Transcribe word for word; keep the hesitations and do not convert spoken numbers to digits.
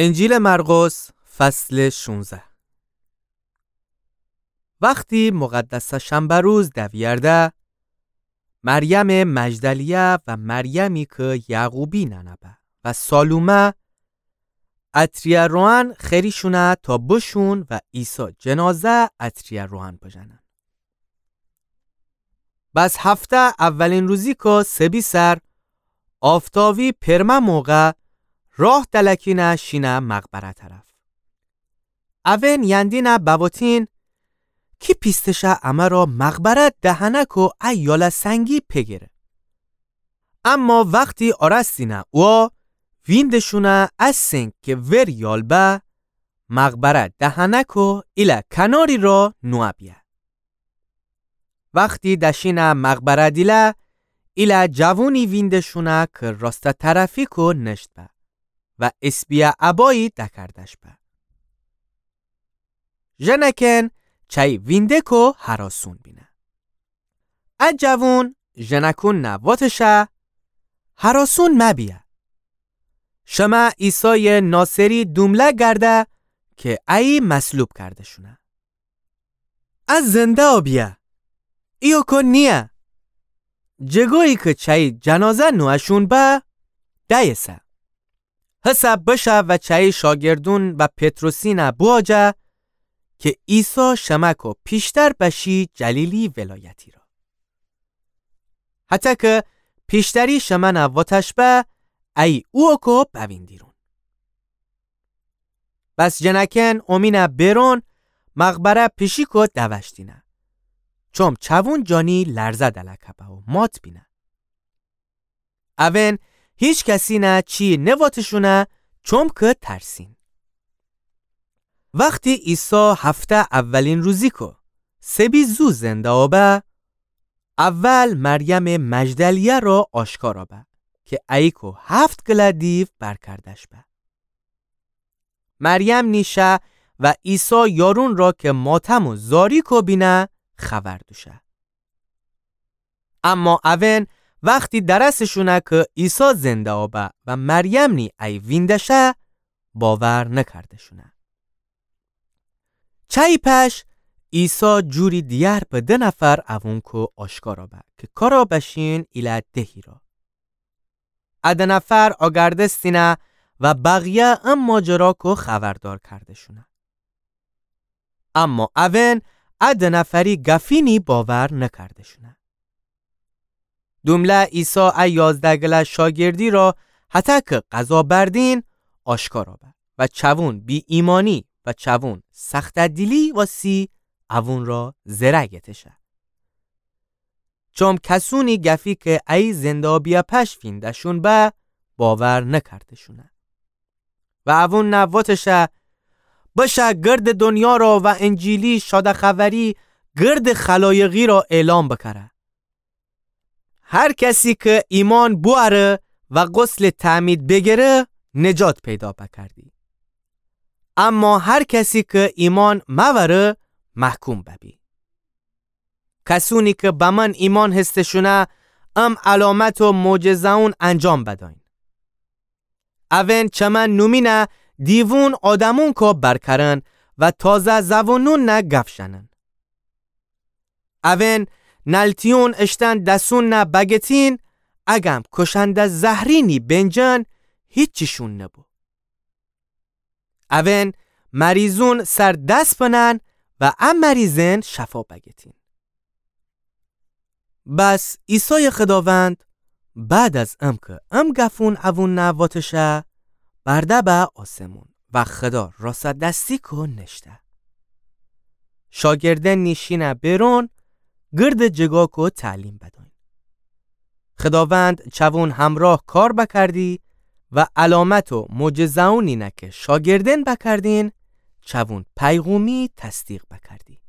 انجیلٚ مرقس، فصلٚ شونزده. وختی مقدسٚ شنبه روز دویرده، مریمٚ مجدلیه و مریمی کی یعقوبی ننه به و سالومه عطریه روغن خریشونه تا بوشون و عیسی جنازه عطریه روغن بوژنن. بس هفته اولین روزی کی سبی سر آفتابی پئرمه موقع راه دلکینه شینه مقبره طرف. اوئن یندینه بوتین کی پیستشه امه را مقبره دهنه کی ا یاله سنگی پگیره. اما وختی آرستینه اووا ویندشونه ا سنگ کی ور یال به مقبره دهنه کی ایله کناری را نوه بیه. وختی دشینه مقبره دیله، ایله جوونی ویندشونه کی راسته طرفی کی نشت به و اسپیه عبایی دکردش به. ژنکن چایی وینده کی هراسون بینه. ا جوون ژنکون نه واتشه، هراسون مبیه. شمه عیسایٚ ناصری دومله گرده کی ایی مصلوب کردشونه. ا زنده بیه. ایو کی نییه. جگایی کی چایی جنازه نوهشون به، دأیسه. هسه بشه و چایی شاگردون و پطرسینه بواجه کی عیسی شمه کی پیشتر بشی جلیلی ولایتی را. هطه کی پیشتری شمنه واتش به، ایی اووا کی بویندیرون. بس جنکن اومینه بیرون مقبره پیشی کی دوشتینه. چوم چوون جانی لرزه دلکه به و مات بینه. اوئن هیچ کسینه چی نواتشونه، چوم کی ترسین. وختی عیسی هفته اولین روزی کی سبی زو زنده به، اول مریمٚ مجدلیه را آشکارا به کی ایی کی هفت گله دیو برکردش به. مریم نیشه و عیسی یارون را کی ماتم و زاری کی بینه خبر دوشه. اما اوئن وختی درسشونه کی عیسی زنده به و مریم نی ایی ویندشه، باور نکردشونه. چایی پش عیسی جوری دیگر به ده نفر اوون کی آشکارا به کی کارا بشین ایله دهی را. ا ده نفر آگردستینه و بقیه ا ماجرا کی خبردار کردشونه. اما اوئن ا ده نفری گفینی باور نکردشونه. دومله عیسی ا یازده گله شاگردی را هطه کی قضا بردین آشکارا به و چوون بی‌ایمانی و چوون سخته‌دیلی واسی اوون را زره گتشه. چوم کسونی گفی کی ایی زنده بیه پش ویندهشون به، باور نکردشونه. و اوون نه واتشه، بشه گردٚ دنیا را و انجیلی شاده خبری گردٚ خلایقی را اعلام بکره. هر کسی کی ایمان بوأره و غسلٚ تعمید بیگیره، نجات پیدا بکردی. اما هر کسی کی ایمان موأره، محکوم ببی. کسونی کی به من ایمان هستشونه، ام علامت و معجزه‌ون انجام بدأین. اوئن چمه نومینه دیوون آدمون کی برکرن و تازه زوونون نه گف ژنن. اوئن نلتیون اشتن دسون نه بگتین، اگم کشنده زهری نی بینجن، هیچیشون نبو. اوئن مریضون سر دس بنن و ا مریضئن شفا بگتین. بس عیسایٚ خداوند بعد از ام کی ام گفون اوون نه واتشه، برده به آسمون و خدا راسته دستی کی نشته. شاگردئن نیشینه بیرون گردٚ جگا کی تعلیم بدأین. خداوند چوون همراه کار بکردی و علامت و معجزه‌ونی نه کی شاگردئن بکردین، چوون پیغومی تصدیق بکردی.